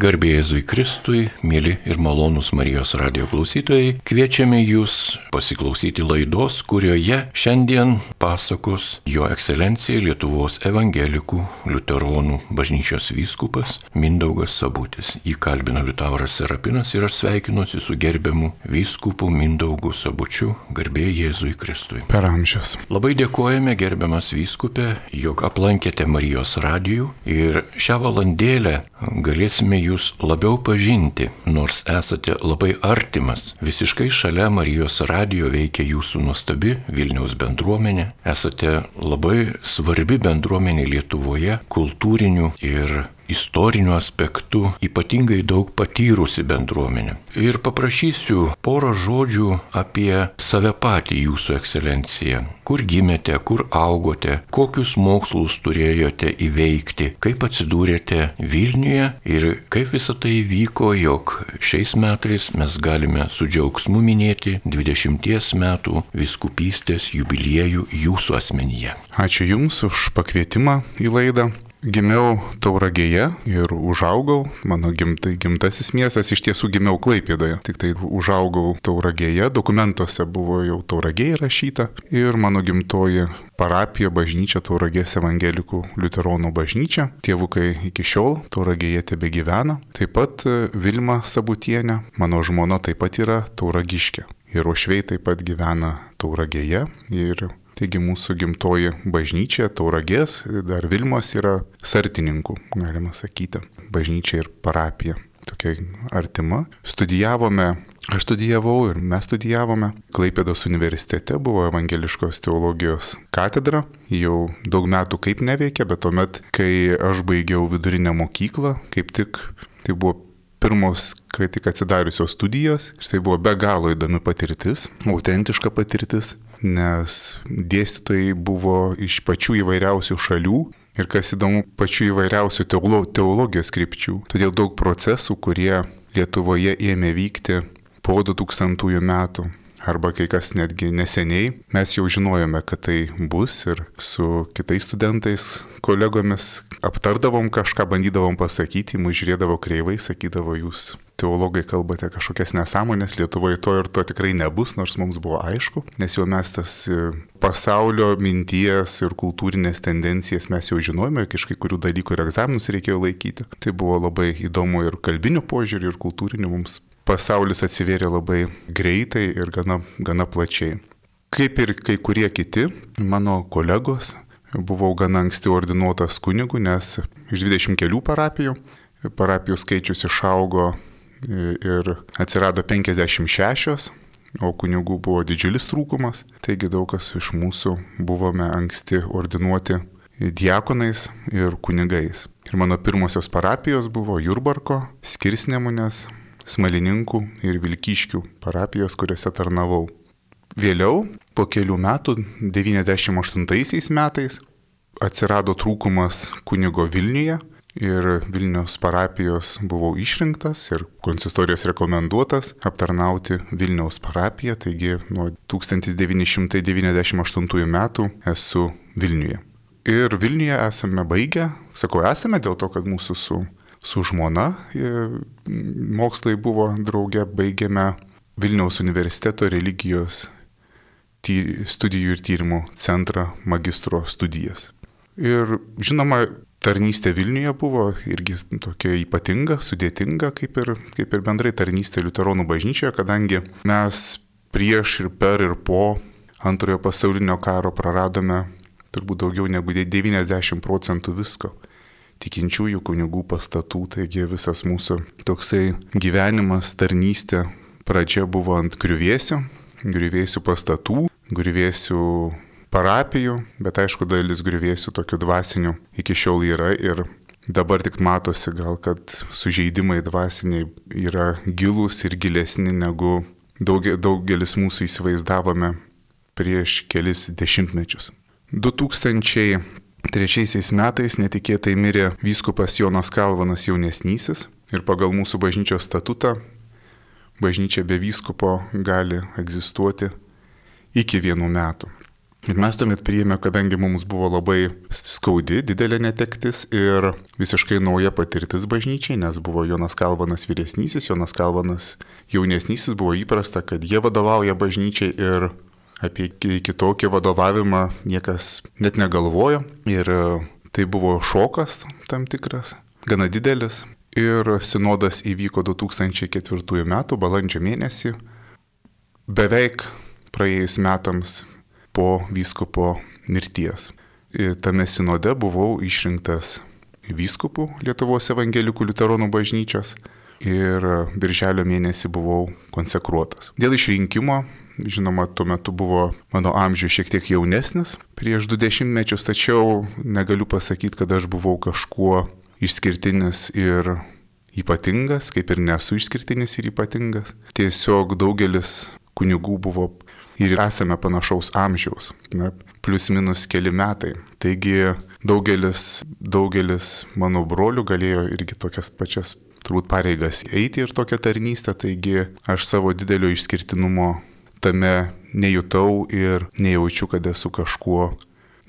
Garbė Jėzui Kristui, mėly ir malonūs Marijos radijo klausytojai, kviečiame jūs pasiklausyti laidos, kurioje šiandien pasakos Jo Ekscelencija Lietuvos evangelikų liuteronų bažnyčios vyskupas Mindaugas Sabutis. Jį kalbina Liutauras Serapinas ir aš sveikinuosi su gerbiamu vyskupu Mindaugu Sabučiu. Garbė Jėzui Kristui. Per amžius. Labai dėkojame, gerbiamas vyskupė, jog aplankėte Marijos radijų ir šią valandėlę galėsime jūs labiau pažinti, nors esate labai artimas. Visiškai šalia Marijos radijo veikia jūsų nuostabi Vilniaus bendruomenė. Esate labai svarbi bendruomenė Lietuvoje, kultūrinių ir istorinių aspektų, ypatingai daug patyrusi bendruomenė. Ir paprašysiu porą žodžių apie save patį, Jūsų Ekscelencija. Kur gimėte, kur augote, kokius mokslus turėjote įveikti, kaip atsidūrėte Vilniuje ir kaip visą tai vyko, jog šiais metais mes galime su džiaugsmu minėti 20 metų vyskupystės jubiliejų Jūsų asmenyje. Ačiū Jums už pakvietimą į laidą. Gimiau Tauragėje ir užaugau, mano gimtasis miestas, iš tiesų gimiau Klaipėdoje, tik tai užaugau Tauragėje, dokumentuose buvo jau Tauragė įrašyta ir mano gimtoji parapija, bažnyčia Tauragės evangelikų liuteronų bažnyčia. Tėvukai iki šiol Tauragėje tebegyvena, taip pat Vilma Sabutienė, mano žmona taip pat yra tauragiškė ir uošviai taip pat gyvena Tauragėje ir taigi mūsų gimtoji bažnyčia Tauragės, dar Vilmos yra sartininkų, galima sakyti, bažnyčia ir parapija, tokia artima. Aš studijavau ir mes studijavome. Klaipėdos universitete buvo evangeliškos teologijos katedra, jau daug metų kaip neveikia, bet tuomet, kai aš baigiau vidurinę mokyklą, kaip tik tai buvo pirmos, kai tik atsidariusios studijos, štai buvo be galo įdomi patirtis, autentiška patirtis, nes dėstytojai buvo iš pačių įvairiausių šalių ir kas įdomu, pačių įvairiausių teologijos krypčių. Todėl daug procesų, kurie Lietuvoje ėmė vykti po 2000 metų, arba kai kas netgi neseniai, mes jau žinojome, kad tai bus ir su kitais studentais, kolegomis aptardavom kažką, bandydavom pasakyti, mus žiūrėdavo kreivai, sakydavo, jūs teologai kalbate kažkokias nesąmonės, Lietuvoje to ir to tikrai nebus, nors mums buvo aišku, nes jau mes tas pasaulio minties ir kultūrinės tendencijas mes jau žinojome, iš kai kurių dalykų ir egzaminus reikėjo laikyti. Tai buvo labai įdomu ir kalbinių požiūrį, ir kultūrinių mums. Pasaulis atsivėrė labai greitai ir gana plačiai. Kaip ir kai kurie kiti mano kolegos, buvau gana anksti ordinuotas kunigu, nes iš 20 kelių parapijų skaičius išaugo ir atsirado 56, o kunigų buvo didžiulis trūkumas. Taigi daug kas iš mūsų buvome anksti ordinuoti diakonais ir kunigais. Ir mano pirmosios parapijos buvo Jurbarko, Skirsnemunės, Smalininkų ir Vilkyškių parapijos, kuriuose tarnavau. Vėliau, po kelių metų, 98 metais, atsirado trūkumas kunigo Vilniuje ir Vilniaus parapijos buvau išrinktas ir konsistorijos rekomenduotas aptarnauti Vilniaus parapiją, taigi nuo 1998 metų esu Vilniuje. Ir Vilniuje esame baigę, sakau esame dėl to, kad mūsų su žmona mokslai buvo drauge, baigėme Vilniaus universiteto religijos studijų ir tyrimų centrą magistro studijas. Ir žinoma, tarnystė Vilniuje buvo irgi tokia ypatinga, sudėtinga, kaip ir bendrai tarnystė liuteronų bažnyčioje, kadangi mes prieš ir per ir po Antrojo pasaulinio karo praradome turbūt daugiau negu 90% visko. Tikinčiųjų kunigų pastatų, taigi visas mūsų toksai gyvenimas, tarnystė, pradžia buvo ant griuvėsių pastatų, griuvėsių parapijų, bet aišku, dalis griuvėsių tokių dvasinių iki šiol yra ir dabar tik matosi gal, kad sužeidimai dvasiniai yra gilūs ir gilesni negu daugelis mūsų įsivaizdavome prieš kelis dešimtmečius. 2003 metais netikėtai mirė vyskupas Jonas Kalvanas jaunesnysis ir pagal mūsų bažnyčios statutą bažnyčia be vyskupo gali egzistuoti iki 1 metų. Ir mes tuomet priėmė, kadangi mums buvo labai skaudi, didelė netektis ir visiškai nauja patirtis bažnyčiai, nes buvo Jonas Kalvanas vyresnysis, Jonas Kalvanas jaunesnysis, buvo įprasta, kad jie vadovauja bažnyčiai ir apie kitokį vadovavimą niekas net negalvojo. Ir tai buvo šokas tam tikras, gana didelis. Ir sinodas įvyko 2004 metų balandžio mėnesį, beveik praėjus metams po vyskupo mirties. Ir tame sinode buvau išrinktas vyskupu Lietuvos evangelikų liuteronų bažnyčios ir birželio mėnesį buvau konsekruotas. Dėl išrinkimo, žinoma, tuo metu buvo mano amžius šiek tiek jaunesnis, prieš 20 mečius, tačiau negaliu pasakyti, kad aš buvau kažkuo išskirtinis ir ypatingas, kaip ir nesu išskirtinis ir ypatingas. Tiesiog daugelis kunigų buvo ir esame panašaus amžiaus, plius minus keli metai. Taigi daugelis mano brolių galėjo irgi tokias pačias turbūt pareigas eiti ir tokią tarnystę, taigi aš savo didelio išskirtinumo tame nejutau ir nejaučiu, kad esu kažkuo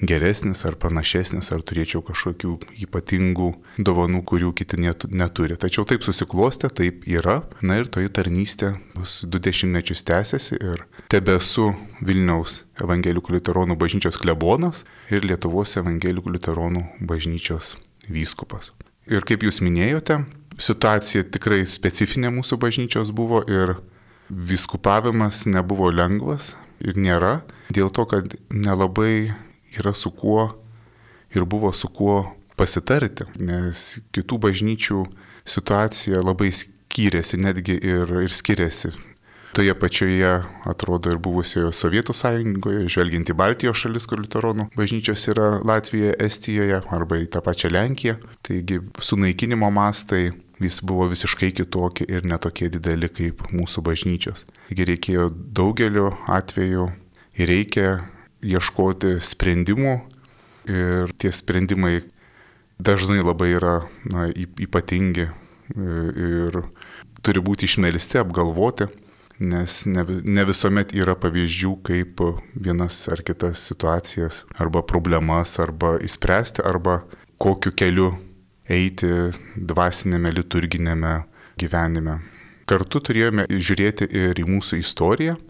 geresnis ar panašesnis, ar turėčiau kažkokių ypatingų dovanų, kurių kiti neturi. Tačiau taip susiklostė, taip yra. Na ir toji tarnystė bus 20 mečius tęsiasi ir tebesu Vilniaus evangelikų liuteronų bažnyčios klebonas ir Lietuvos evangelikų liuteronų bažnyčios vyskupas. Ir kaip jūs minėjote, situacija tikrai specifinė mūsų bažnyčios buvo ir vyskupavimas nebuvo lengvas ir nėra, dėl to, kad nelabai yra su kuo ir buvo su kuo pasitarti, nes kitų bažnyčių situacija labai skyrėsi, netgi ir skiriasi. Toje pačioje, atrodo, ir buvusioje Sovietų sąjungoje, žvelgiant į Baltijos šalis, kur liuteronų bažnyčios yra Latvijoje, Estijoje arba į tą pačią Lenkiją. Taigi sunaikinimo mastai vis buvo visiškai kitokie ir netokie dideli kaip mūsų bažnyčios. Taigi reikėjo daugeliu atveju ir reikia ieškoti sprendimų ir tie sprendimai dažnai labai yra ypatingi ir turi būti išmelsti, apgalvoti, nes ne visuomet yra pavyzdžių, kaip vienas ar kitas situacijas arba problemas arba išspręsti arba kokiu keliu eiti dvasinėme liturginėme gyvenime. Kartu turėjome žiūrėti ir į mūsų istoriją.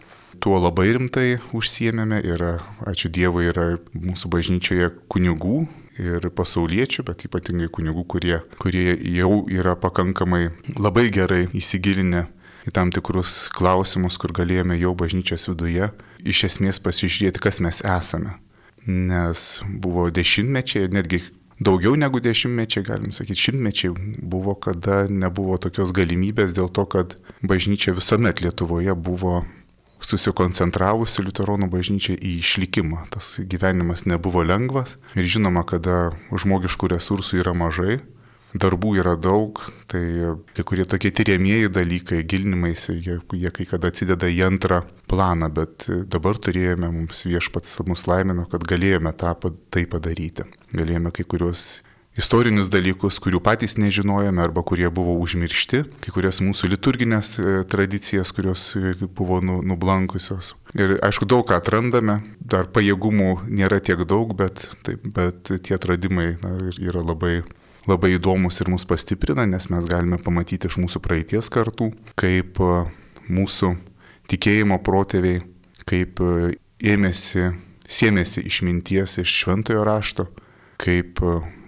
Tuo labai rimtai užsiėmėme ir, ačiū Dievui, yra mūsų bažnyčioje kunigų ir pasauliečių, bet ypatingai kunigų, kurie jau yra pakankamai labai gerai įsigilinę į tam tikrus klausimus, kur galėjome jau bažnyčios viduje iš esmės pasižiūrėti, kas mes esame. Nes buvo dešimtmečiai, netgi daugiau negu dešimtmečiai, galim sakyti, šimtmečiai buvo, kada nebuvo tokios galimybės dėl to, kad bažnyčia visuomet Lietuvoje buvo susikoncentravusi liuteronų bažnyčiai į išlikimą. Tas gyvenimas nebuvo lengvas ir žinoma, kada žmogiškų resursų yra mažai, darbų yra daug, tai kai kurie tokie tyriamieji dalykai, gilinimaisi, jie kai kada atsideda į antrą planą, bet dabar turėjome, mums viešpats mus laimino, kad galėjome tai padaryti. Galėjome kai kurios istorinius dalykus, kurių patys nežinojome arba kurie buvo užmiršti, kai kurias mūsų liturginės tradicijas, kurios buvo nublankusios. Ir aišku, daug ką atrandame, dar pajėgumų nėra tiek daug, bet tie atradimai yra labai, labai įdomus ir mus pastiprina, nes mes galime pamatyti iš mūsų praeities kartų, kaip mūsų tikėjimo protėviai, kaip sėmėsi išminties iš šventojo rašto, kaip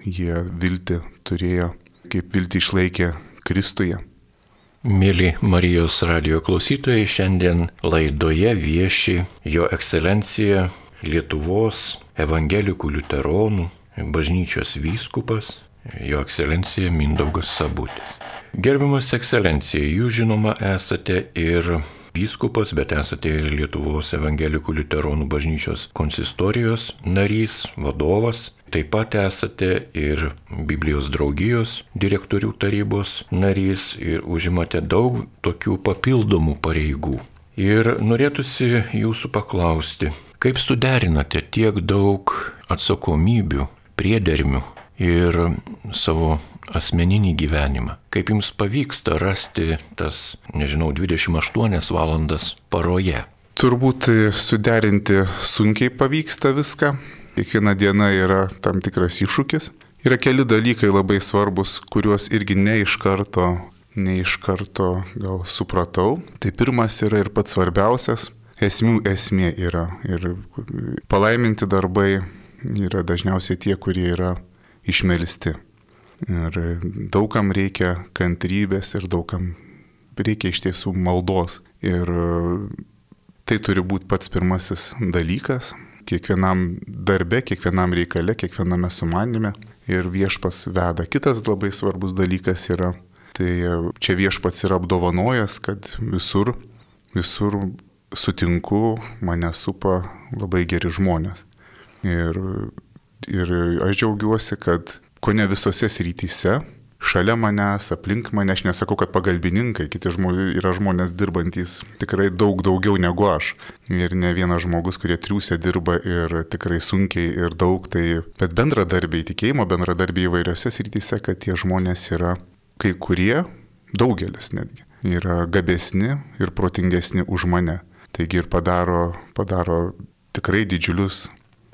jie viltį turėjo, kaip viltį išlaikė Kristuje. Mėly Marijos radijo klausytojai, šiandien laidoje vieši Jo ekscelencija Lietuvos evangelikų liuteronų bažnyčios vyskupas, Jo ekscelencija Mindaugas Sabutis. Gerbiamas ekscelencija, jūs žinoma esate ir vyskupas, bet esate ir Lietuvos evangelikų liuteronų bažnyčios konsistorijos narys, vadovas. Taip pat esate ir Biblijos draugijos direktorių tarybos narys ir užimate daug tokių papildomų pareigų. Ir norėtųsi jūsų paklausti, kaip suderinate tiek daug atsakomybių, priedermių ir savo asmeninį gyvenimą? Kaip jums pavyksta rasti tas, 28 valandas paroje? Turbūt suderinti sunkiai pavyksta viską. Kiekviena diena yra tam tikras iššūkis. Yra keli dalykai labai svarbus, kuriuos irgi ne iš karto gal supratau. Tai pirmas yra ir pats svarbiausias. Esmių esmė yra. Ir palaiminti darbai yra dažniausiai tie, kurie yra išmelsti. Ir daugam reikia kantrybės ir daugam reikia iš tiesų maldos. Ir tai turi būti pats pirmasis dalykas. Kiekvienam darbe, kiekvienam reikale, kiekviename sumanime. Ir viešpats veda. Kitas labai svarbus dalykas yra, tai čia viešpats yra apdovanojęs, kad visur sutinku, mane supa labai geri žmonės. Ir aš džiaugiuosi, kad kone visose srityse, šalia manęs, aplink mane, aš nesakau, kad pagalbininkai, kiti yra žmonės dirbantys tikrai daug daugiau negu aš. Ir ne vienas žmogus, kurie triūsia dirba ir tikrai sunkiai ir daug, bet bendradarbiai, tikėjimo bendradarbiai įvairiose srityse, kad tie žmonės yra kai kurie, daugelis netgi, yra gabesni ir protingesni už mane. Taigi ir padaro tikrai didžiulius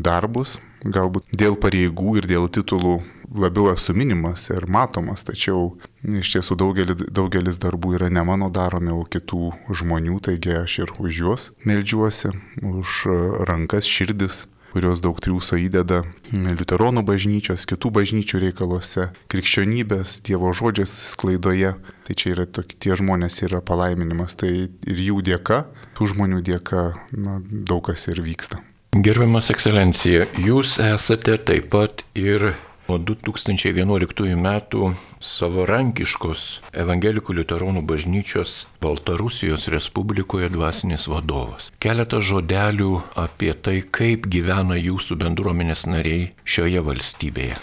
darbus, galbūt dėl pareigų ir dėl titulų labiau esu minimas ir matomas, tačiau iš tiesų daugelis darbų yra ne mano daromi, o kitų žmonių, taigi aš ir už juos meldžiuosi, už rankas, širdis, kurios daug triūso įdeda liuteronų bažnyčios, kitų bažnyčių reikaluose, krikščionybės, Dievo žodžios sklaidoje. Tai čia yra tie žmonės yra palaiminimas, tai ir jų dėka, tų žmonių dėka daug kas ir vyksta. Gerbiamas ekscelencija, jūs esate taip pat ir nuo 2011 metų savarankiškos Evangelikų liuteronų bažnyčios Baltarusijos Respublikoje dvasinis vadovas. Keletą žodelių apie tai, kaip gyvena jūsų bendruomenės nariai šioje valstybėje.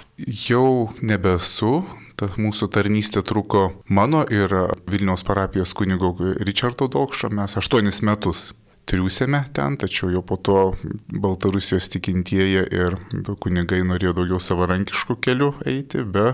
Jau nebesu. Ta mūsų tarnystė truko mano ir Vilniaus parapijos kunigo Richardo Dokšo. Mes 8 metus triūsėme ten, tačiau jau po to Baltarusijos tikintieji ir kunigai norėjo daugiau savarankiškų kelių eiti, be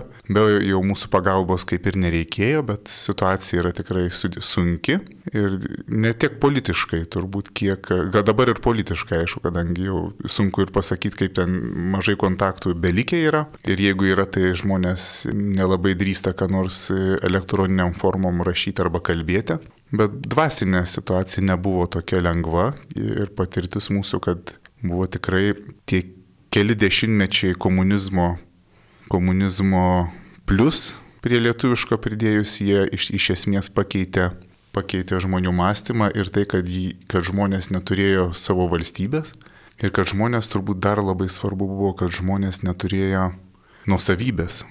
jau mūsų pagalbos kaip ir nereikėjo, bet situacija yra tikrai sunki ir ne tiek politiškai turbūt, kiek, gal dabar ir politiškai, aišku, kadangi jau sunku ir pasakyti, kaip ten mažai kontaktų belikę yra ir jeigu yra, tai žmonės nelabai drįsta ką nors elektroniniam formom rašyti arba kalbėti. Bet dvasinė situacija nebuvo tokia lengva ir patirtis mūsų, kad buvo tikrai tie keli dešimtmečiai komunizmo plus prie lietuviško pridėjus, jie iš esmės pakeitė žmonių mąstymą ir tai, kad žmonės neturėjo savo valstybės ir kad žmonės turbūt dar labai svarbu buvo, kad žmonės neturėjo nuosavybės.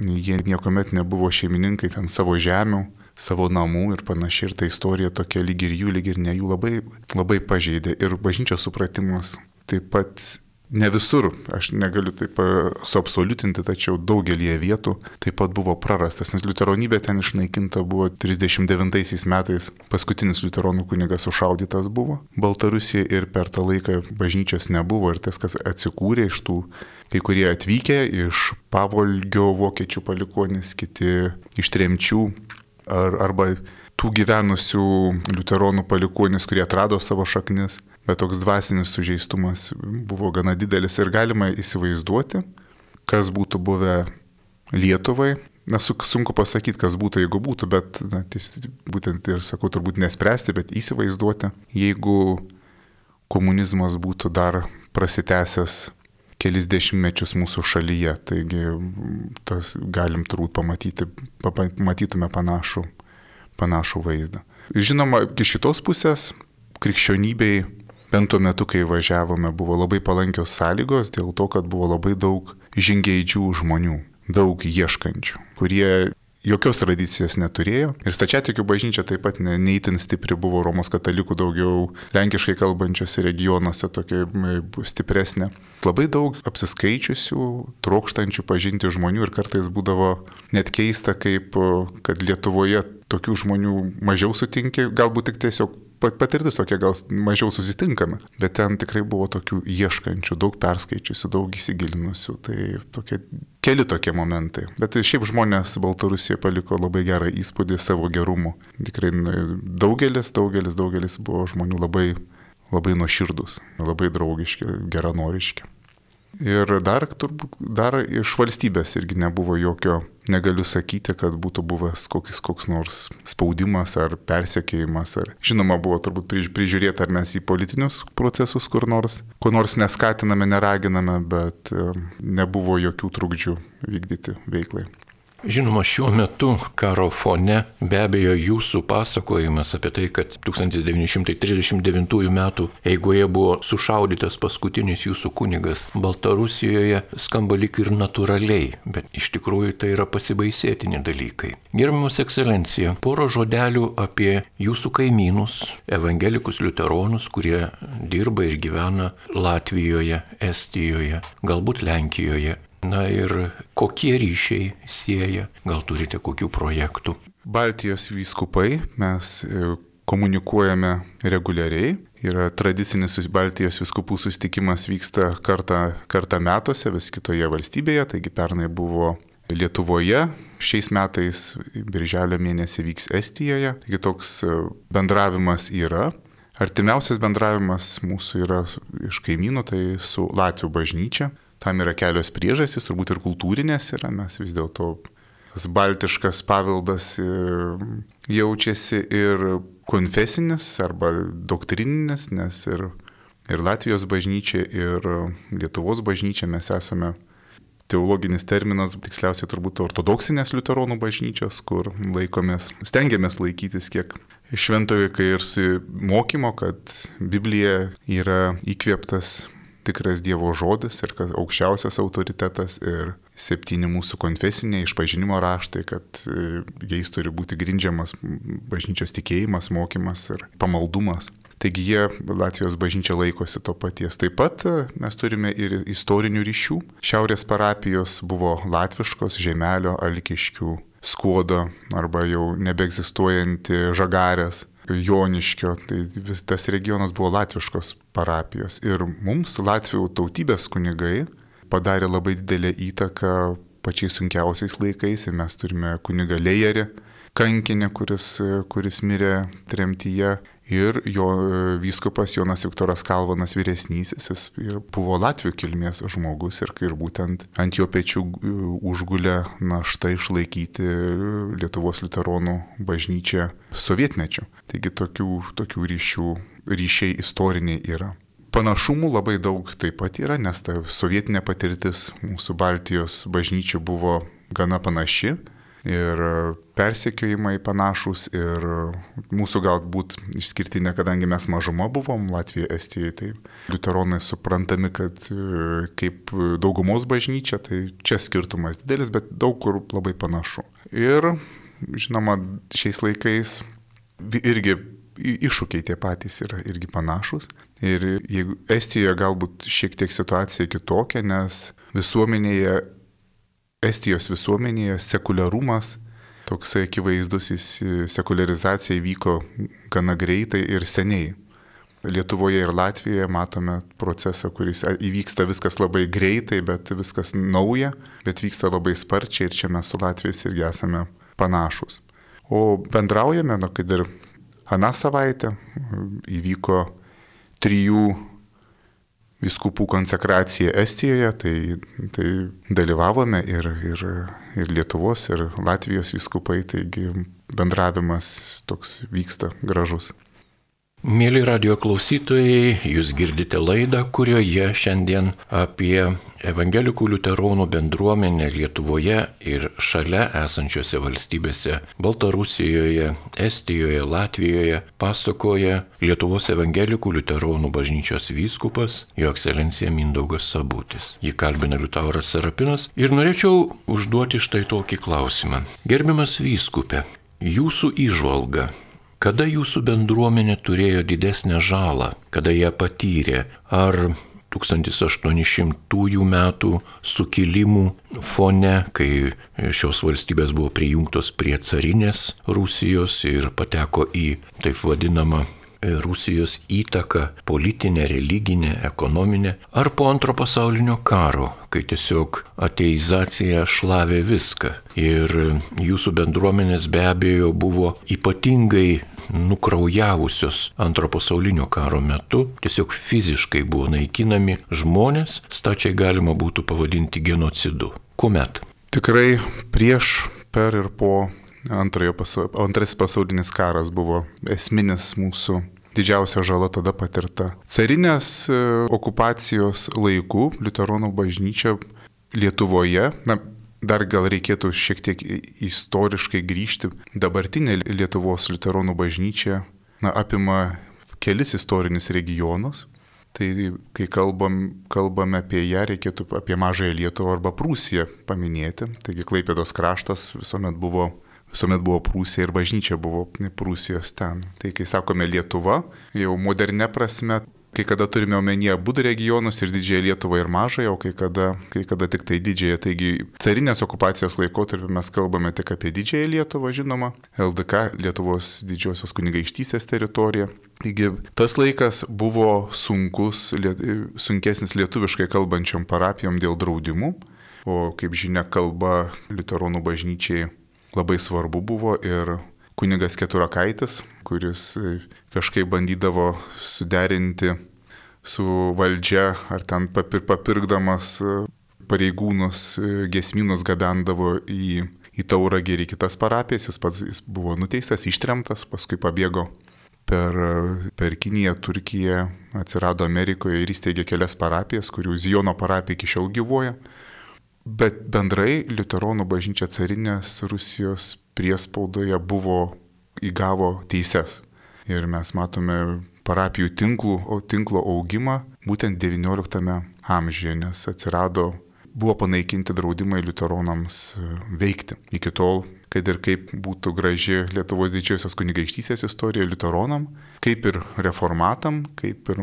Jie niekuomet nebuvo šeimininkai ten savo žemių, savo namų ir panašiai. Ir ta istorija tokia lyg ir jų, lyg ir ne jų labai pažeidė. Ir bažnyčios supratimas taip pat ne visur, aš negaliu taip suabsoliutinti, tačiau daugelie vietų taip pat buvo prarastas, nes liuteronybė ten išnaikinta buvo 39 metais, paskutinis liuteronų kunigas sušaudytas buvo Baltarusijoje ir per tą laiką bažnyčios nebuvo ir tas, kas atsikūrė iš tų, kai kurie atvykę iš Pavolgio vokiečių palikuonis, kiti iš tremčių arba tų gyvenusių liuteronų palikuonis, kurie atrado savo šaknis. Bet toks dvasinis sužeistumas buvo gana didelis ir galima įsivaizduoti, kas būtų buvę Lietuvai. Sunku pasakyti, kas būtų, jeigu būtų, bet būtent ir sakau, turbūt nespręsti, bet įsivaizduoti, jeigu komunizmas būtų dar prasitęsęs kelis dešimtmečius mūsų šalyje. Taigi galim turbūt pamatytume panašų vaizdą. Žinoma, iš šitos pusės krikščionybei bent tuo metu, kai važiavome, buvo labai palankios sąlygos dėl to, kad buvo labai daug žingeidžių žmonių, daug ieškančių, kurie jokios tradicijos neturėjo. Ir stačiatikių bažnyčia taip pat neįtin stipri buvo, Romos katalikų daugiau lenkiškai kalbančiose regionuose tokia stipresnė. Labai daug apsiskaičiusių, trokštančių pažinti žmonių ir kartais būdavo net keista, kad Lietuvoje tokių žmonių mažiau sutinki, galbūt tik tiesiog patirtis tokia, gal mažiau susitinkame, bet ten tikrai buvo tokių ieškančių, daug perskaičiusių, daug įsigilinusių, tai keli tokie momentai. Bet šiaip žmonės Baltarusijoje paliko labai gerą įspūdį savo gerumu. Tikrai daugelis buvo žmonių labai nuoširdus, labai draugiški, geranoriški. Ir dar iš valstybės irgi nebuvo jokio, negaliu sakyti, kad būtų buvęs koks nors spaudimas ar persekiojimas. Žinoma, buvo turbūt prižiūrėti, ar mes į politinius procesus ko nors neskatiname, neraginame, bet nebuvo jokių trukdžių vykdyti veiklai. Žinoma, šiuo metu karo fone be abejo jūsų pasakojimas apie tai, kad 1939 metų eigoje buvo sušaudytas paskutinis jūsų kunigas Baltarusijoje, skamba lyg ir natūraliai, bet iš tikrųjų tai yra pasibaisėtini dalykai. Gerbiamas ekscelencija, porą žodelių apie jūsų kaimynus, evangelikus liuteronus, kurie dirba ir gyvena Latvijoje, Estijoje, galbūt Lenkijoje. Na ir kokie ryšiai sieja, gal turite kokių projektų? Baltijos vyskupai, mes komunikuojame reguliariai. Yra tradicinis Baltijos vyskupų susitikimas, vyksta kartą metuose vis kitoje valstybėje, taigi pernai buvo Lietuvoje, šiais metais birželio mėnesį vyks Estijoje, taigi toks bendravimas yra. Artimiausias bendravimas mūsų yra iš kaimynų, tai su Latvių bažnyčia. Tam yra kelios priežastys, turbūt ir kultūrinės yra, mes vis dėlto tas baltiškas paveldas jaučiasi ir konfesinis arba doktrininis, nes ir Latvijos bažnyčia, ir Lietuvos bažnyčia mes esame, teologinis terminas, tiksliausiai turbūt ortodoksinės liuteronų bažnyčios, kur stengiamės laikytis kiek šventojo ir mokymo, kad Biblija yra įkvėptas tikras Dievo žodis ir kad aukščiausias autoritetas ir 7 mūsų konfesiniai išpažinimo raštai, kad jais turi būti grindžiamas bažnyčios tikėjimas, mokymas ir pamaldumas. Taigi Latvijos bažnyčia laikosi to paties. Taip pat mes turime ir istorinių ryšių. Šiaurės parapijos buvo latviškos, Žemelio, Alkiškių, Skuodo arba jau nebeegzistuojanti Žagarės, Joniškio, tai tas regionas buvo latviškos parapijos. Ir mums Latvių tautybės kunigai padarė labai didelę įtaką pačiais sunkiausiais laikais. Ir mes turime kunigą Lejerį, kankinį, kuris mirė tremtyje. Ir jo vyskupas Jonas Viktoras Kalvanas vyresnysis, jis buvo Latvių kilmės žmogus ir rybūt ant jo pečių užgulė našta išlaikyti Lietuvos liuteronų bažnyčią sovietmečiu. Taigi tokių ryšiai istoriniai yra. Panašumų labai daug taip pat yra, nes ta sovietinė patirtis mūsų Baltijos bažnyčių buvo gana panaši. Ir persekiojimai panašūs ir mūsų galbūt išskirtinė, kadangi mes mažuma buvom Latvijoje, Estijoje, tai liuteronai suprantami, kad kaip daugumos bažnyčia, tai čia skirtumas didelis, bet daug kur labai panašu. Ir žinoma, šiais laikais irgi iššūkiai tie patys yra irgi panašus. Ir jeigu Estijoje galbūt šiek tiek situacija kitokia, nes Estijos visuomenėje sekuliarumas, toksai akivaizdus, sekuliarizacija įvyko gana greitai ir seniai. Lietuvoje ir Latvijoje matome procesą, kuris įvyksta viskas labai greitai, bet viskas nauja, bet vyksta labai sparčiai ir čia mes su Latvijos irgi esame panašus. O bendraujame, kad ir aną savaitę įvyko 3 vyskupų konsekracija Estijoje, tai dalyvavome ir Lietuvos, ir Latvijos vyskupai, taigi bendravimas toks vyksta gražus. Mėly radio klausytojai, jūs girdite laidą, kurioje šiandien apie evangelikų liuteronų bendruomenę Lietuvoje ir šalia esančiose valstybėse Baltarusijoje, Estijoje, Latvijoje pasakoja Lietuvos evangelikų liuteronų bažnyčios vyskupas, jo ekscelencija Mindaugas Sabutis. Jį kalbina Liutauras Serapinas ir norėčiau užduoti štai tokį klausimą. Gerbiamas vyskupe, jūsų įžvalga. Kada jūsų bendruomenė turėjo didesnę žalą, kada ją patyrė? Ar 1800 metų sukilimų fone, kai šios valstybės buvo prijungtos prie carinės Rusijos ir pateko į taip vadinamą Rusijos įtaką politinę, religinę, ekonominę, ar po Antro pasaulinio karo, kai tiesiog ateizacija šlavė viską. Ir jūsų bendruomenės be abejo buvo ypatingai nukraujavusios Antro pasaulinio karo metu, tiesiog fiziškai buvo naikinami žmonės, stačiai galima būtų pavadinti genocidu. Kuomet? Tikrai prieš, per ir po Antrasis pasaulinis karas buvo esminis mūsų didžiausia žala tada patirta. Carinės okupacijos laikų liuteronų bažnyčia Lietuvoje, dar gal reikėtų šiek tiek istoriškai grįžti, dabartinė Lietuvos liuteronų bažnyčia apima kelis istorinius regionus. Tai kai kalbame apie ją, reikėtų apie Mažąją Lietuvą arba Prūsiją paminėti. Taigi Klaipėdos kraštas visuomet buvo Prūsija ir bažnyčia buvo Prūsijos ten. Tai kai sakome Lietuva, jau modernė prasme, kai kada turime omenyje abu regionus ir Didžiąją Lietuvą ir Mažąją, o kai kada tik tai Didžiąją. Taigi carinės okupacijos laikotarpiu mes kalbame tik apie Didžiąją Lietuvą, žinoma, LDK, Lietuvos didžiosios kunigaikštystės teritorija. Taigi tas laikas buvo sunkesnis lietuviškai kalbančiom parapijom dėl draudimų, o kaip žinia, kalba liuteronų bažnyčiai labai svarbu buvo ir kunigas Keturakaitis, kuris kažkaip bandydavo suderinti su valdžia ar ten papirkdamas pareigūnus, giesmynus gabendavo į Tauragę ir į kitas parapijas. Jis buvo nuteistas, ištremtas, paskui pabėgo per Kiniją, Turkiją, atsirado Amerikoje ir įsteigė kelias parapijas, kurių Zijono parapija iki šiol gyvuoja. Bet bendrai liuteronų bažnyčia carinės Rusijos priespaudoje įgavo teises. Ir mes matome parapijų tinklo augimą būtent XIX amžiuje, nes buvo panaikinti draudimai liuteronams veikti. Iki tol, kad ir kaip būtų graži Lietuvos didžiosios kunigaikštystės istorija liuteronam, kaip ir reformatam, kaip ir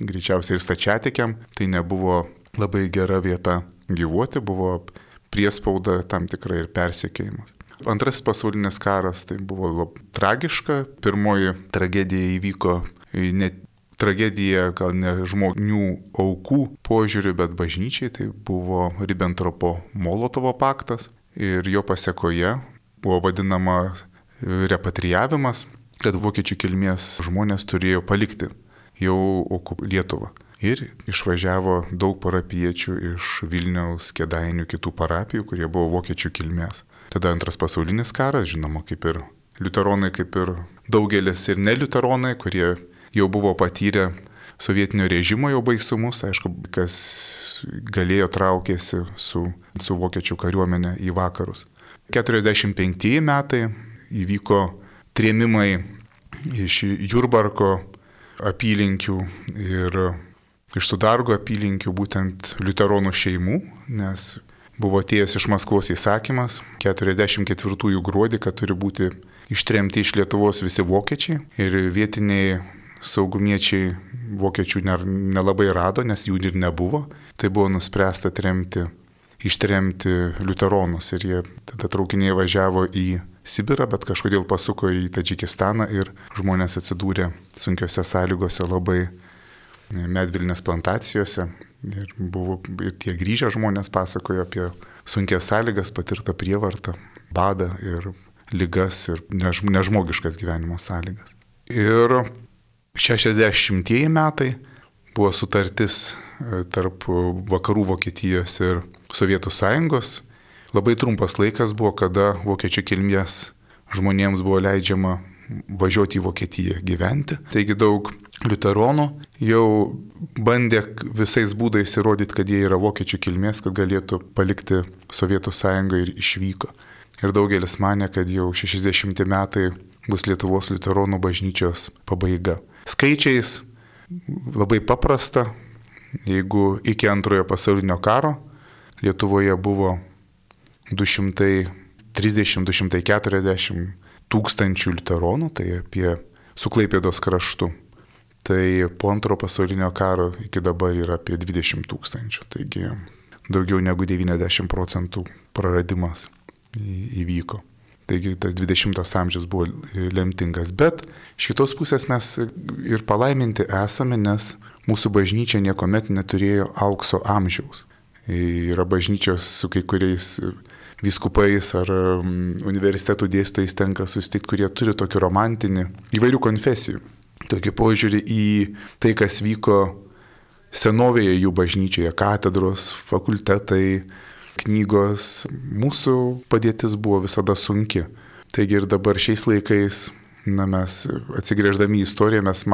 greičiausiai ir stačiatikiam, tai nebuvo labai gera vieta gyvuoti, buvo priespauda tam tikrai ir persekiojimas. Antrasis pasaulinis karas tai buvo tragiška. Pirmoji tragedija įvyko tragedija gal ne žmonių aukų požiūriu, bet bažnyčiai. Tai buvo Ribbentropo-Molotovo paktas ir jo pasekoje buvo vadinama repatrijavimas, kad vokiečių kilmės žmonės turėjo palikti jau Lietuvą. Ir išvažiavo daug parapiečių iš Vilniaus, Kėdainių, kitų parapijų, kurie buvo vokiečių kilmės. Tada Antras pasaulinis karas, žinoma, kaip ir liuteronai, kaip ir daugelis ir neliuteronai, kurie jau buvo patyrę sovietinio režimo jau baisumus, aišku, kas galėjo traukėsi su vokiečių kariuomenė į vakarus. 45 metai įvyko trėmimai iš Jurbarko apylinkių ir iš Sudargo apylinkių būtent liuteronų šeimų, nes buvo atėjęs iš Maskvos įsakymas 44 gruodį, kad turi būti ištremti iš Lietuvos visi vokiečiai ir vietiniai saugumiečiai vokiečių nelabai rado, nes jų ir nebuvo. Tai buvo nuspręsta ištremti liuteronus ir jie tada traukiniai važiavo į Sibirą, bet kažkodėl pasuko į Tadžikistaną ir žmonės atsidūrė sunkiose sąlygose labai medvilnės plantacijose ir tie grįžę žmonės pasakojo apie sunkias sąlygas, patirtą prievartą, badą ir ligas ir nežmogiškas gyvenimo sąlygas. Ir 60-ieji metai buvo sutartis tarp vakarų Vokietijos ir Sovietų Sąjungos. Labai trumpas laikas buvo, kada vokiečių kilmės žmonėms buvo leidžiama važiuoti į Vokietiją gyventi. Taigi daug liuteronų jau bandė visais būdais įrodyti, kad jie yra vokiečių kilmės, kad galėtų palikti Sovietų Sąjungą ir išvyko. Ir daugelis manė, kad jau 60 metai bus Lietuvos liuteronų bažnyčios pabaiga. Skaičiais labai paprasta, jeigu iki Antrojo pasaulinio karo Lietuvoje buvo 230-240 tūkstančių liuteronų, tai apie su Klaipėdos kraštu. Tai po Antro pasaulinio karo iki dabar yra apie 20 tūkstančių, taigi daugiau negu 90% praradimas įvyko. Taigi tas 20 amžius buvo lemtingas. Bet iš kitos pusės mes ir palaiminti esame, nes mūsų bažnyčia niekuomet neturėjo aukso amžiaus. Yra bažnyčios su kai kuriais vyskupais ar universitetų dėstytojais tenka susitikti, kurie turi tokį romantinį įvairių konfesijų. Tokį požiūrį į tai, kas vyko senovėje jų bažnyčioje, katedros, fakultetai, knygos. Mūsų padėtis buvo visada sunki. Taigi ir dabar šiais laikais, mes atsigręždami į istoriją, mes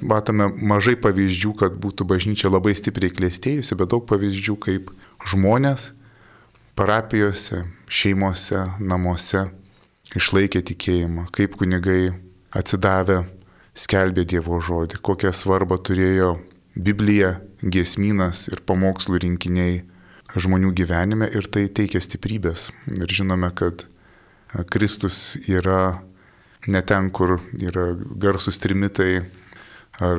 matome mažai pavyzdžių, kad būtų bažnyčia labai stipriai klestėjusi, bet daug pavyzdžių, kaip žmonės parapijose, šeimose, namuose išlaikė tikėjimą, kaip kunigai atsidavę skelbė Dievo žodį, kokią svarbą turėjo Biblija, giesmynas ir pamokslų rinkiniai žmonių gyvenime ir tai teikia stiprybės. Ir žinome, kad Kristus yra ne ten, kur yra garsus trimitai ar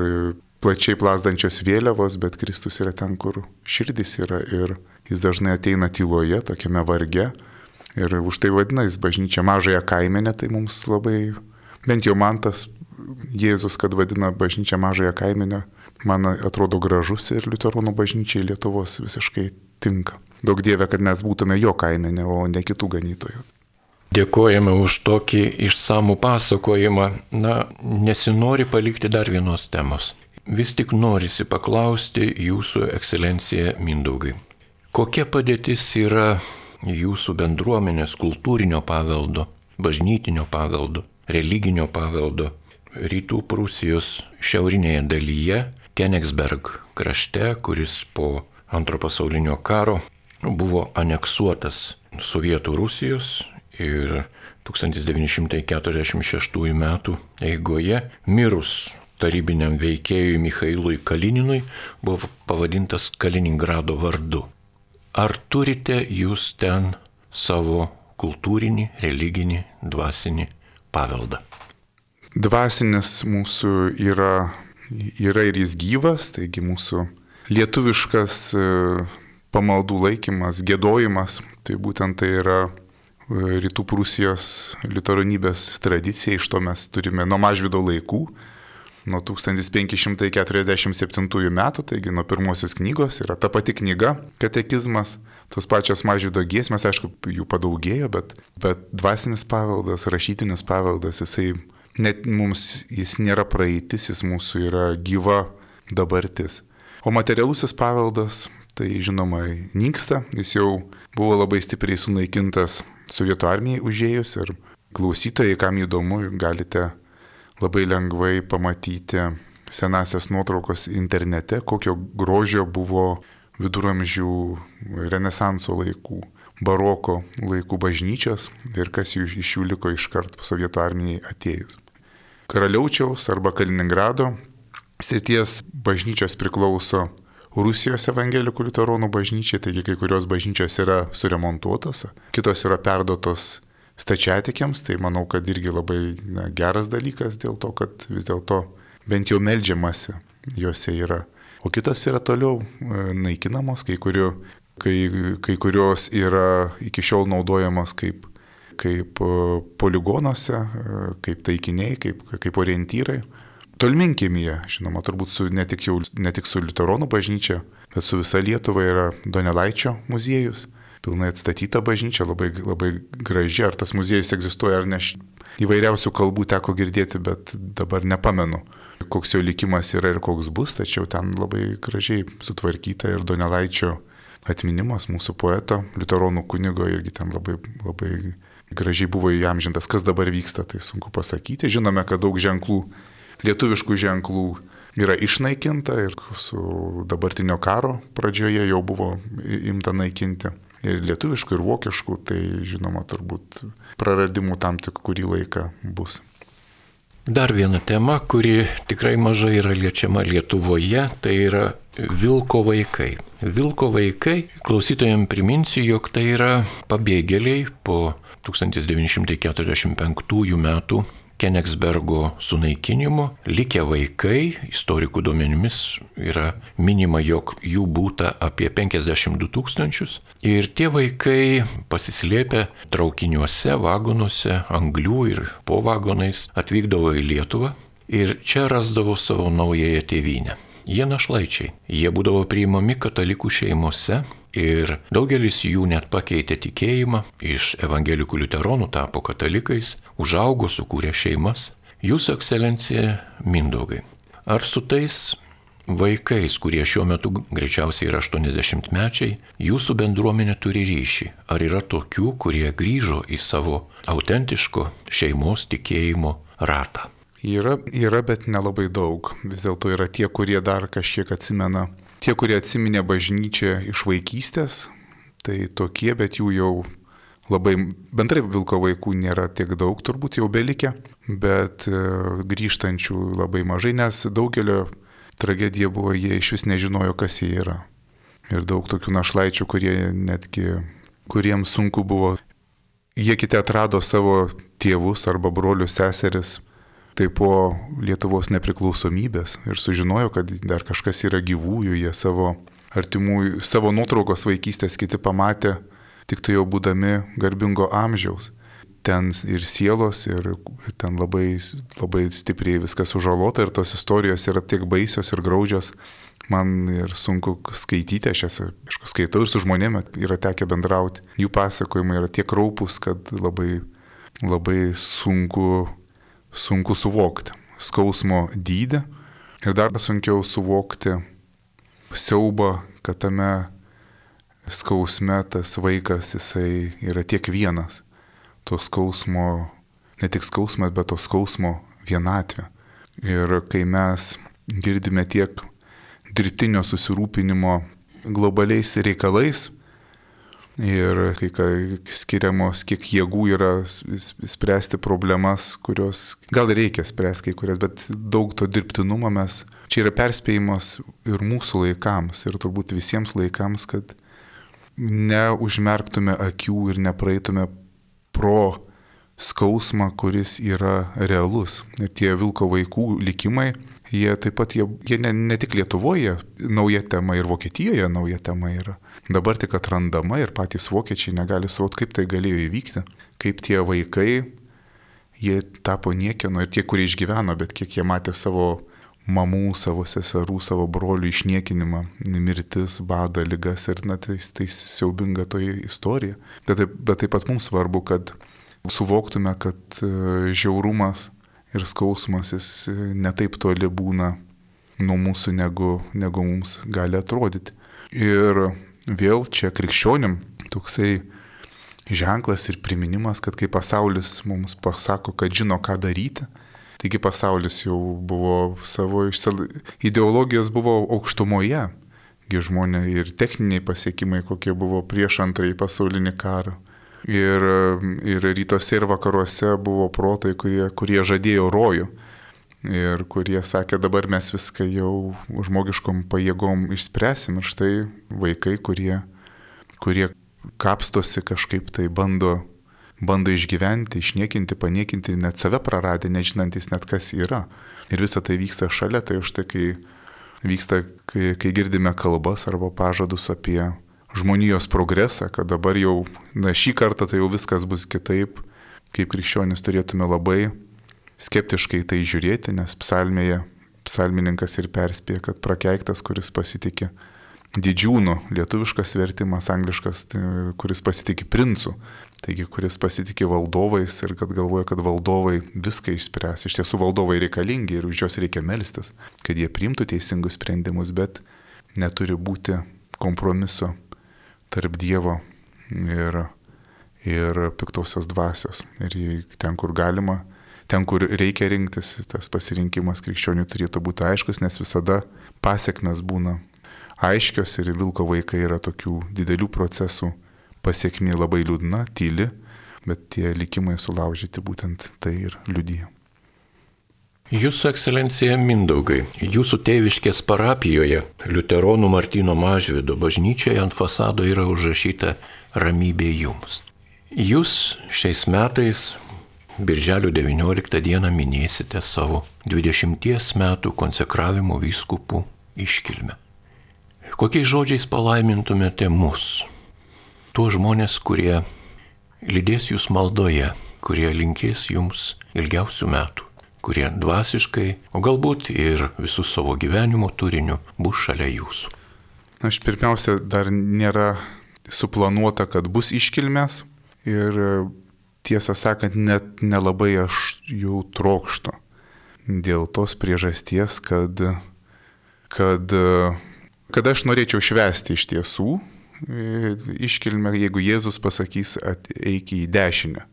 plačiai plazdančios vėliavos, bet Kristus yra ten, kur širdis yra ir jis dažnai ateina tyloje, tokiame varge. Ir už tai vadina jis bažnyčia mažąją kaimenę, tai mums labai, bent jau man tas Jėzus, kad vadina bažnyčią mažąją kaimenę, man atrodo gražus ir liuteronų bažnyčiai Lietuvos visiškai tinka. Daug Dieve, kad mes būtume jo kaimenė, o ne kitų ganytojų. Dėkojame už tokį išsamų pasakojimą. Nesinori palikti dar vienos temos. Vis tik norisi paklausti jūsų ekscelencija Mindaugai. Kokia padėtis yra jūsų bendruomenės kultūrinio paveldo, bažnytinio paveldo, religinio paveldo Rytų Prūsijos šiaurinėje dalyje, Kenigsberg krašte, kuris po Antro pasaulinio karo buvo aneksuotas Sovietų Rusijos ir 1946 metų eigoje mirus tarybiniam veikėjui Michailui Kalininui buvo pavadintas Kaliningrado vardu. Ar turite jūs ten savo kultūrinį, religinį, dvasinį paveldą? Dvasinis mūsų yra ir jis gyvas, taigi mūsų lietuviškas pamaldų laikymas, giedojimas, tai būtent tai yra Rytų Prūsijos liuteronybės tradicija, iš to mes turime nuo Mažvydo laikų, nuo 1547 metų, taigi nuo pirmosios knygos yra ta pati knyga, katekizmas, tos pačios Mažvydo giesmės, aišku, jų padaugėjo, bet dvasinis paveldas, rašytinis paveldas, jis nėra praeitis, jis mūsų yra gyva dabartis. O materialusis paveldas, tai žinoma, nyksta, jis jau buvo labai stipriai sunaikintas Sovietų armijai užėjus ir klausytojai, kam įdomu, galite labai lengvai pamatyti senasias nuotraukos internete, kokio grožio buvo viduramžių, renesanso laikų, baroko laikų bažnyčios ir kas iš jų liko iškart Sovietų armijai atėjus. Karaliaučiaus arba Kaliningrado srities bažnyčios priklauso Rusijos evangelikų liuteronų bažnyčiai, taigi kai kurios bažnyčios yra suremontuotos, kitos yra perduotos stačiatikiams, tai manau, kad irgi labai geras dalykas dėl to, kad vis dėlto bent jau meldžiamasi juose yra. O kitos yra toliau naikinamos, kai kurios yra iki šiol naudojamos kaip poligonuose, kaip taikiniai, kaip orientyrai. Tolminkiemyje, žinoma, turbūt ne tik su liuteronų bažnyčia, bet su visa Lietuva yra Donelaičio muziejus, pilnai atstatyta bažnyčia, labai, labai graži. Ar tas muziejus egzistuoja ar ne, įvairiausių kalbų teko girdėti, bet dabar nepamenu, koks jo likimas yra ir koks bus, tačiau ten labai gražiai sutvarkyta ir Donelaičio atminimas mūsų poeto, liuteronų kunigo irgi ten labai, labai gražiai buvo įamžintas. Kas dabar vyksta, tai sunku pasakyti. Žinome, kad daug ženklų, lietuviškų ženklų yra išnaikinta ir su dabartinio karo pradžioje jau buvo imta naikinti. Ir lietuviškų, ir vokiškų, tai žinoma turbūt praradimų tam tik kurį laiką bus. Dar viena tema, kuri tikrai mažai yra liečiama Lietuvoje, tai yra vilko vaikai. Vilko vaikai, klausytojams priminsiu, jog tai yra pabėgėliai po 1945 metų Kenigsbergo sunaikinimo likę vaikai, istorikų duomenimis yra minima, jog jų būta apie 52 000 ir tie vaikai pasislėpę traukiniuose, vagonuose, anglių ir po vagonais atvykdavo į Lietuvą ir čia rasdavo savo naująją tėvynę. Jie našlaičiai, jie būdavo priimami katalikų šeimose ir daugelis jų net pakeitė tikėjimą, iš evangelikų liuteronų tapo katalikais, užaugo, sukūrė šeimas. Jūsų ekscelencija Mindaugai, ar su tais vaikais, kurie šiuo metu greičiausiai yra 80-mečiai, jūsų bendruomenė turi ryšį? Ar yra tokių, kurie grįžo į savo autentiško šeimos tikėjimo ratą? Yra, bet nelabai daug. Vis dėlto yra tie, kurie dar kažkiek atsimena. Tie, kurie atsiminė bažnyčią iš vaikystės, tai tokie, bet jų jau labai, bendrai Vilko vaikų nėra tiek daug, turbūt jau belikę, bet grįžtančių labai mažai, nes daugelio tragedija buvo, jie iš vis nežinojo, kas jie yra. Ir daug tokių našlaičių, kuriems sunku buvo, jie kiti atrado savo tėvus arba brolius, seseris, tai po Lietuvos nepriklausomybės ir sužinojo, kad dar kažkas yra gyvųjų, jie savo artimųjų, savo nuotraukos vaikystės kiti pamatė, tik tai jau būdami garbingo amžiaus. Ten ir sielos, ir ten labai, labai stipriai viskas sužalota ir tos istorijos yra tiek baisios ir graudžios. Man ir sunku skaityti, aš jas skaitau ir su žmonėmis yra tekę bendrauti. Jų pasakojimai yra tiek raupus, kad labai, labai sunku suvokti skausmo dydį ir dar sunkiau suvokti siaubą, kad tame skausme tas vaikas, jisai yra tiek vienas. To skausmo, ne tik skausmas, bet to skausmo vienatvė. Ir kai mes girdime tiek dirbtinio susirūpinimo globaliais reikalais, ir kai skiriamos, kiek jėgų yra spręsti problemas, kurios gal reikia spręsti kai kurias, bet daug to dirbtinumo mes. Čia yra perspėjimas ir mūsų laikams, ir turbūt visiems laikams, kad neužmerktume akių ir nepraeitume pro skausmą, kuris yra realus. Ir tie Vilko vaikų likimai, jie taip pat, jie ne tik Lietuvoje nauja tema ir Vokietijoje nauja tema yra. Dabar tik atrandama ir patys vokiečiai negali suvokti, kaip tai galėjo įvykti. Kaip tie vaikai, jie tapo niekieno ir tie, kurie išgyveno, bet kiek jie matė savo mamų, savo seserų, savo brolių išniekinimą, mirtis, badą, ligas ir tai siaubinga toji istorija. Bet taip pat mums svarbu, kad suvoktume, kad žiaurumas ir skausmas jis netaip toli būna nuo mūsų, negu mums gali atrodyti. Ir vėl čia krikščionim toksai ženklas ir priminimas, kad kai pasaulis mums pasako, kad žino, ką daryti, taigi pasaulis jau buvo savo ideologijos buvo aukštumoje, žmonės ir techniniai pasiekimai, kokie buvo prieš antrąjį pasaulinį karą. Ir rytuose ir vakaruose buvo protai, kurie žadėjo rojų ir kurie sakė, dabar mes viską jau žmogiškom pajėgom išspręsim. Ir štai vaikai, kurie kapstosi kažkaip tai bando išgyventi, išniekinti, paniekinti, net save praradę, nežinantis net kas yra. Ir visa tai vyksta šalia, tai už tai, kai girdime kalbas arba pažadus apie žmonijos progresą, kad dabar jau, šį kartą tai jau viskas bus kitaip, kaip krikščionis turėtume labai skeptiškai tai žiūrėti, nes psalmininkas ir perspėja, kad prakeiktas, kuris pasitikė didžiūnu, lietuviškas vertimas, angliškas, kuris pasitikė princu, taigi kuris pasitikė valdovais ir kad galvoja, kad valdovai viską išspręs. Iš tiesų valdovai reikalingi ir už juos reikia melstis, kad jie priimtų teisingus sprendimus, bet neturi būti kompromiso tarp Dievo ir piktosios dvasios. Ir ten, kur galima, ten, kur reikia rinktis, tas pasirinkimas krikščionių turėtų būti aiškus, nes visada pasiekmes būna aiškios ir Vilko vaikai yra tokių didelių procesų pasiekmė labai liūdna, tyli, bet tie likimai sulaužyti būtent tai ir liudija. Jūsų ekscelencija Mindaugai, jūsų tėviškės parapijoje, liuteronų Martyno Mažvydo bažnyčioje ant fasado yra užrašyta ramybė jums. Jūs šiais metais Birželio 19 dieną minėsite savo 20 metų konsekravimo vyskupų iškilmę. Kokiais žodžiais palaimintumėte mus, tuos žmonės, kurie lydės jūs maldoje, kurie linkės jums ilgiausių metų, kurie dvasiškai, o galbūt ir visų savo gyvenimo turiniu bus šalia jūsų? Aš pirmiausia, dar nėra suplanuota, kad bus iškilmės ir tiesą sakant, net nelabai aš jų trokštu. Dėl tos priežasties, kad aš norėčiau švęsti iš tiesų iškilmę, jeigu Jėzus pasakys eik į dešinę.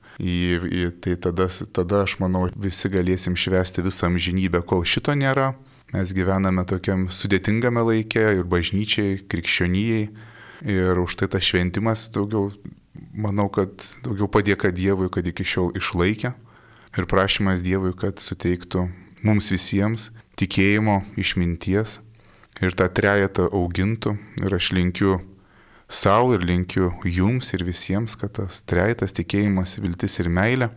Tai tada aš manau visi galėsim švęsti visą amžinybę, kol šito nėra. Mes gyvename tokiam sudėtingame laike ir bažnyčiai, krikščionijai. Ir už tai tas šventimas daugiau, manau, kad daugiau padėka Dievui, kad iki šiol išlaikė. Ir prašymas Dievui, kad suteiktų mums visiems tikėjimo, išminties ir tą trejetą augintų. Ir aš linkiu savo ir linkiu jums ir visiems, kad tas trejetas tikėjimas, viltis ir meilė,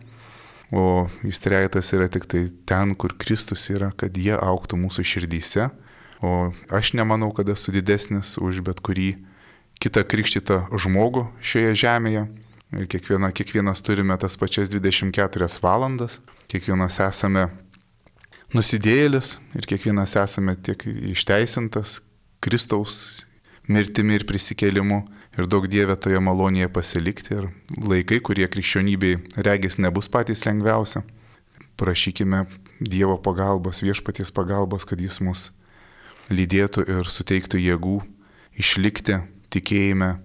o jis trejetas yra tik tai ten, kur Kristus yra, kad jie augtų mūsų širdyse. O aš nemanau, kad esu didesnis už bet kurį kitą krikštytą žmogų šioje žemėje. Ir kiekvienas turime tas pačias 24 valandas, kiekvienas esame nusidėjėlis ir kiekvienas esame tiek išteisintas Kristaus mirtimi ir prisikėlimu. Ir daug Dieve toje malonėje pasilikti. Ir laikai, kurie krikščionybei regis nebus patys lengviausia. Prašykime Dievo pagalbos, viešpaties pagalbos, kad jis mus lydėtų ir suteiktų jėgų išlikti tikėjime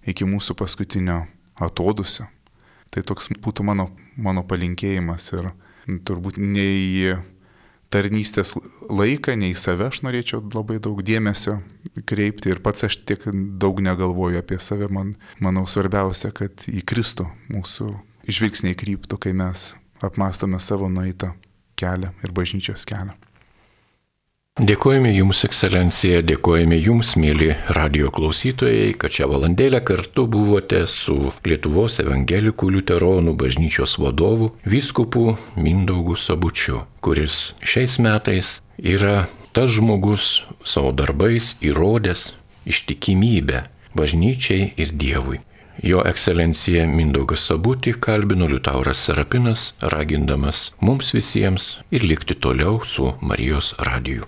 iki mūsų paskutinio atodusio. Tai toks būtų mano palinkėjimas ir turbūt ne į tarnystės laiką, ne į save aš norėčiau labai daug dėmesio kreipti ir pats aš tiek daug negalvoju apie save. Manau svarbiausia, kad į Kristų mūsų žvilgsniai kryptų, kai mes apmastome savo nueitą kelią ir bažnyčios kelią. Dėkojame Jums, ekscelencija, dėkojame Jums, mėly radijo klausytojai, kad šią valandėlę kartu buvote su Lietuvos evangelikų liuteronų bažnyčios vadovu vyskupu Mindaugu Sabučiu, kuris šiais metais yra tas žmogus savo darbais įrodęs ištikimybę bažnyčiai ir Dievui. Jo ekscelencija Mindaugas Sabutį kalbino Liutauras Serapinas, ragindamas mums visiems ir likti toliau su Marijos radiju.